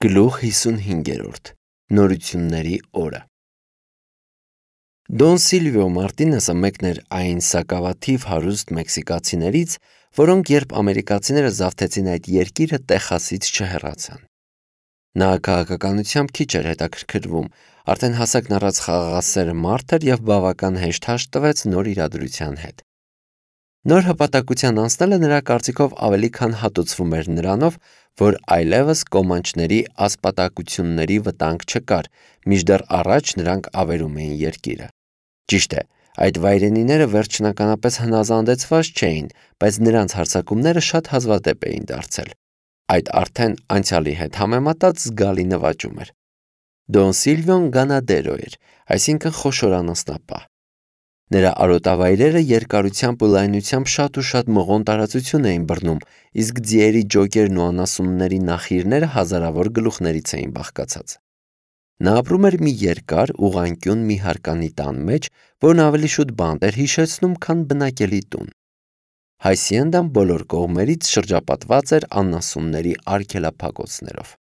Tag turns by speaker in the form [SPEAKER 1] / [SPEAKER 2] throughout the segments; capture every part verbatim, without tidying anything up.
[SPEAKER 1] Գլուխ հիսունհինգերորդ Նորությունների օրը Դոն Սիլվիո Մարտինեսը մեկն էր այն սակավաթիվ հարուստ մեքսիկացիներից, որոնք երբ ամերիկացիները զավթեցին այդ երկիրը, Տեխասից չհեռացան։ Նա քաղաքականությամբ քիչ էր հետաքրքրվում, արդեն հասակն առած խաղաղասեր մարդ էր և բավական հեշտ հաշտ տվեց նոր իրադրության հետ։ Նոր հպատակության անցնելը նրա կարծիքով ավելի քան հատուցվում էր նրանով, որ այլևս կոմանչների ասպատակությունների վտանգ չկար, մինչդեռ առաջ նրանք ավերում էին երկիրը։ Ճիշտ է, այդ վայրենիները վերջնականապես հնազանդեցված չէին, բայց նրանց հարձակումները շատ հազվադեպ էին դարձել։ Այդ արդեն անցյալի հետ համեմատած զգալի նվաճում էր։ Դոն Սիլվիոն գանադերո էր, այսինքն խոշոր անասնապահ։ Նրա արոտավայրերը երկարությամբ ու լայնությամբ շատ ու շատ մղոն տարածություն էին բռնում, իսկ ձիերի ջոկերն ու անասունների նախիրները հազարավոր գլուխներից էին բաղկացած։ Նա ապրում էր մի երկար, ուղղանկյուն մի հարկանի տան մեջ, որն ավելի շուտ բանտ էր հիշեցնում, քան բնակելի տուն։ Հայսիենդան բոլոր կողմերից շրջապատված էր անասունների արգելափակոցներով։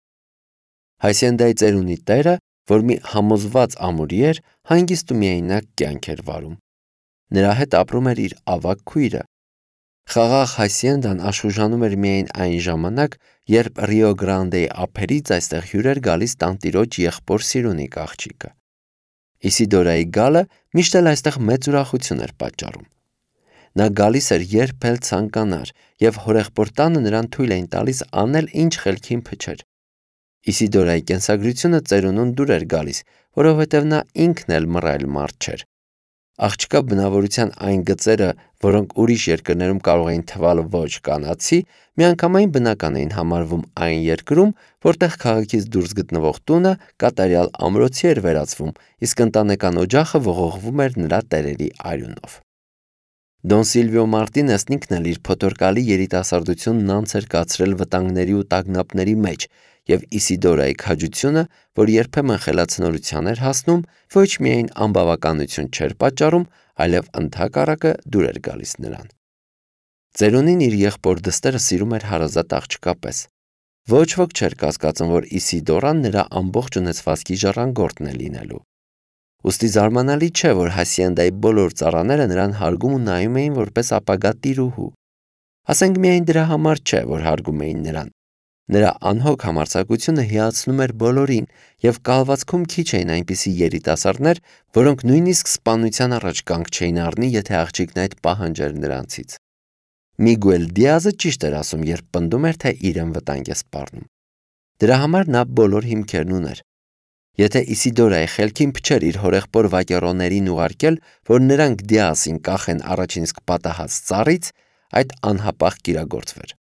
[SPEAKER 1] Հայսիենդայի ծերունի տերը, որ մի համոզված ամուրի էր, հանգիստ ու միայնակ կյանք էր վարում։ Նրա հետ ապրում էր իր ավագ քույրը։ Խաղաղ Հայսիենդան աշխուժանում էր միայն այն ժամանակ, երբ Ռիո Գրանդեի ափերից այստեղ հյուր էր գալիս տանտիրոջ եղբոր Սիրունիկ աղջիկը։ Իսիդորայի գալը միշտ էլ այստեղ մեծ ուրախություն էր պատճառում։ Նա գալիս էր երբ էլ ցանկանար, և հորեղբոր տանը նրան թույլ էին տալիս անել ինչ խելքին փչեր։ Իսիդորայի կենսագրությունը ծերունուն դուր էր գալիս, որովհետև նա ինքն էլ մռայլ մարդ չէր։ Աղջկա բնավորության այն գծերը, որոնք ուրիշ երկրներում կարող էին թվալ ոչ կանացի, միանգամայն բնական էին համարվում այն երկրում, որտեղ քաղաքից դուրս գտնվող տունը կատարյալ ամրոցի էր վերածվում, իսկ ընտանեկան օջախը ողողվում էր նրա տերերի արյունով։ Դոն Սիլվիո Մարտինեսն ինքն էլ իր փոթորկալի երիտասարդությունն անց էր կացրել վտանգների ու տագնապների մեջ, և Իսիդորայի քաջությունը, որ երբեմն խելացնորության էր հասնում, ոչ միայն անբավականություն չէր պատճառում, այլև ընդհակառակը դուր էր գալիս նրան։ Ծերունին իր եղբոր դստերը սիրում էր հարազատ աղջկա պես։ Ոչ ոք չէր կասկածում, որ Իսիդորան նրա ամբողջ ունեցվածքի ժառանգորդն է լինելու։ Ուստի զարմանալի չէ, որ Հասիենդայի բոլոր ծառաները նրան հարգում ու նայում էին որպես ապագա տիրուհու։ Ասենք միայն դրա համար չէ, որ հարգում էին նրան։ Նրա անհոգ համարձակությունը հիացնում էր բոլորին, և կալվածքում քիչ էին այնպիսի երիտասարդներ, որոնք նույնիսկ սպանության առաջ կանգ չէին առնի, եթե աղջիկն այդ պահանջեր նրանցից։ Միգուել Դիազը ճիշտ էր ասում, երբ պնդում էր, թե իրեն վտանգ է սպառնում։ Դրա համար նա բոլոր հիմքերն ուներ։ Եթե Իսիդորայի խելքին փչեր իր հորեղբոր վակերոներին ուղարկել, որ նրանք Դիազին կախեն առաջին իսկ պատահած ծառից, այդ անհապաղ կիրագործվեր։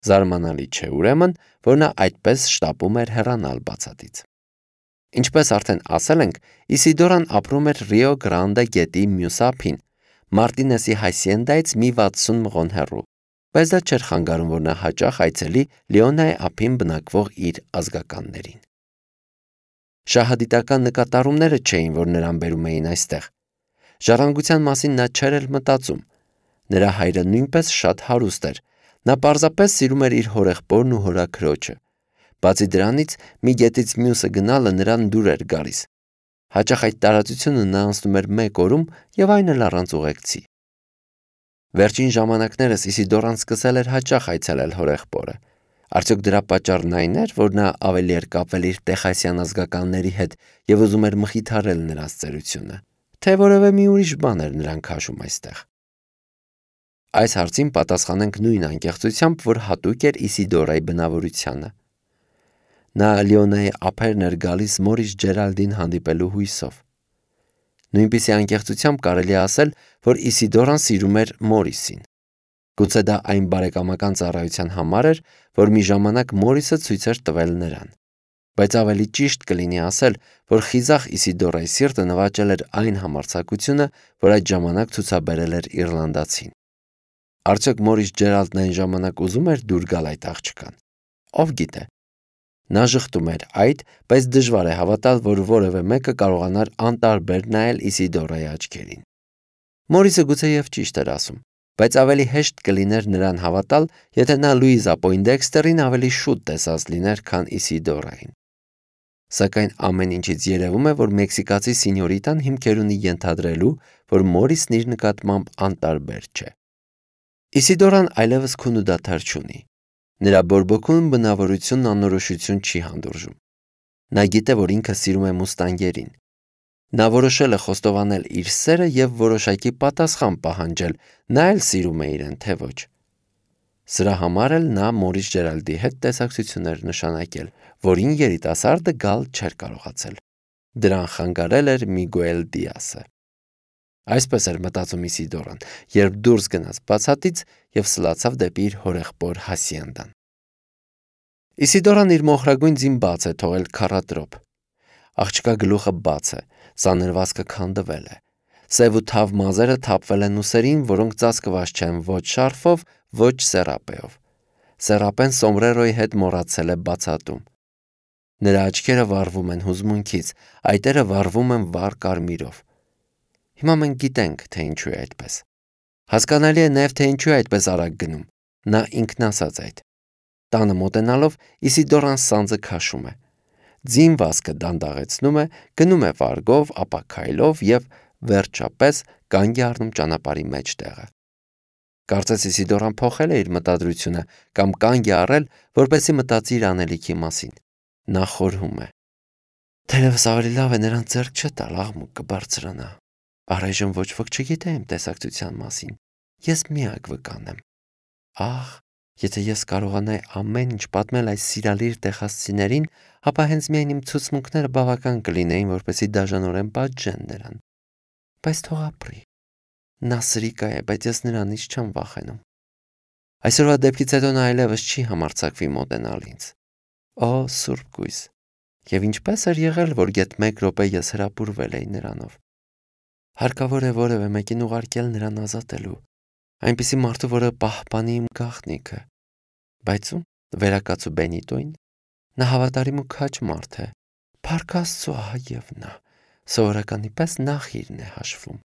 [SPEAKER 1] Զարմանալի չէ ուրեմն, որ նա այդպես շտապում էր հեռանալ բացատից։ Ինչպես արդեն ասել ենք, Իսիդորան ապրում էր Ռիո Գրանդե գետի մյուս ափին, Մարտինեսի Հայսիենդայից մի վաթսուն մղոն հեռու, բայց դա չէր խանգարում, որ նա հաճախ այցելի Լեոնայի ափին բնակվող իր ազգականներին։ Շահադիտական նկատառումները չէին, որ նրան բերում էին այստեղ։ Ժառանգության մասին նա չէր էլ մտածում։ Նրա հայրը նույնպես շատ հարուստ էր։ Նա պարզապես սիրում էր իր հորեղբորն ու հորաքրոջը։ Բացի դրանից, մի գետից մյուսը գնալը նրան դուր էր գալիս։ Հաճախ այդ տարածությունը նա անցնում էր մեկ օրում և այն էլ առանց ուղեկցի։ Վերջին ժամանակներս Իսիդորան սկսել էր հաճախ այցելել հորեղբորը։ Արդյոք դրա պատճառն այն էր, որ նա ավելի էր կապվել իր տեխասյան ազգականների հետ և ուզում էր մխիթարել նրանց ծերությունը, թե որևէ մի ուրիշ բան էր նրան քաշում այստեղ։ Այս հարցին պատասխանենք նույն անկեղծությամբ, որ հատուկ էր Իսիդորայի բնավորությանը։ Նա Լեոնայի ափերն էր գալիս մորից Ջերալդին հանդիպելու հույսով։ Նույնպիսի անկեղծությամբ կարելի է ասել, որ Իսիդորան սիրում էր Մորիսին։ Գուցե դա այն բարեկամական ծառայության համար էր, որ մի ժամանակ Մորիսը ցույց էր տվել նրան։ Բայց ավելի ճիշտ կլինի ասել, որ խիզախ Իսիդորայի սիրտը նվաճել էր այն համարձակությունը, որ այդ ժամանակ ցուցաբերել էր իռլանդացին։ Արդյոք Մորիս Ջերալդն այն ժամանակ ուզում էր դուր գալ այդ աղջկան։ Ով գիտե։ Նա ժխտում էր այդ, բայց դժվար է հավատալ, որ որևէ մեկը կարողանար անտարբեր նայել Իսիդորայի աչքերին։ Մորիսը գուցեև ճիշտ էր ասում։ բայց ավելի հեշտ կլիներ նրան հավատալ, եթե նա Լուիզա Պոյնդեքստերին ավելի շուտ տեսած լիներ, քան Իսիդորային։ Սակայն ամեն ինչից երևում է, որ մեքսիկացի սինյորիտան հիմքեր ունի ենթադրելու, որ Մորիսն իր նկատմամբ անտարբեր չէ։ Իսիդորան այլևս քուն ու դադար չունի։ Նրա բորբոքուն բնավորությունն անորոշություն չի հանդուրժում։ Նա գիտե, որ ինքը սիրում է մուստանգերին։ Նա որոշել է խոստովանել իր սերը եւ որոշակի պատասխան պահանջել, նա էլ սիրում է իրեն, թե ոչ։ Սրա համար էլ նա Մորիս Ջերալդի հետ տեսակցություններ նշանակել, որին երիտասարդը գալ չէր կարողացել։ Դրան խանգարել էր Միգուել Դիասը։ Այսպես էր մտածում Իսիդորան, երբ դուրս գնաց բացատից եւ սլացավ դեպի իր հորեղբոր հասիենդան։ Իսիդորան իր մոխրագույն ձին բաց է թողել քառատրոպ։ Աղջկա գլուխը բաց է, սանրվածքը քանդվել է։ Սև ու թավ մազերը թափվել են ուսերին, որոնք ծածկված չեն ոչ շարֆով, ոչ սերապեով։ Սերապեն սոմբրերոյի հետ մոռացել է բացատում։ Նրա աչքերը վառվում են հուզմունքից, այտերը վառվում են վառ կարմիրով։ Հիմա մենք գիտենք, թե ինչու է այդպես։ Հասկանալի է նաև, թե ինչու է այդպես արագ գնում։ Նա ինքն ասաց այդ։ Տանը մոտենալով Իսիդորան սանձը քաշում է։ Ձին վազքը դանդաղեցնում է, գնում է վարգով, ապա քայլով եւ վերջապես կանգ է առնում ճանապարհի մեջտեղը։ Կարծես Իսիդորան փոխել է իր մտադրությունը կամ կանգ է առել, որպեսզի մտածի իր անելիքի մասին։ Նա խորհում է. Թերևս ավելի լավ է նրան ձեռք չտալ, աղմուկ կբարձրանա։ Առայժմ ոչ ոք չգիտե իմ տեսակցության մասին։ Ես միակ վկան եմ։ Ահ, եթե ես կարողանայի ամեն ինչ պատմել այս սիրալիր տեխասցիներին, ապա հենց միայն իմ ցուցմունքները բավական կլինեին, որպեսզի դաժանորեն պատժեն նրան։ Բայց թող ապրի։ Նա սրիկա է, բայց ես նրանից չեմ վախենում։ Այսօրվա դեպքից հետո նա այլևս չի համարձակվի մոտենալ ինձ։ Օ, սուրբ գույս։ Եվ ինչպես էր եղել, որ գեթ մեկ րոպե ես հրապուրվել էի նրանով։ Հարկավոր է որևէ մեկին ուղարկել նրան ազատելու, այնպիսի մարդու, որը պահպանի իմ գաղտնիքը։ Բայց ում վերակացու Բենիտոին։ Նա հավատարիմ ու քաջ մարդ է։ Փառք Աստծո, ահա եւ նա։ Սովորականի պես նախ իրն է հաշվում։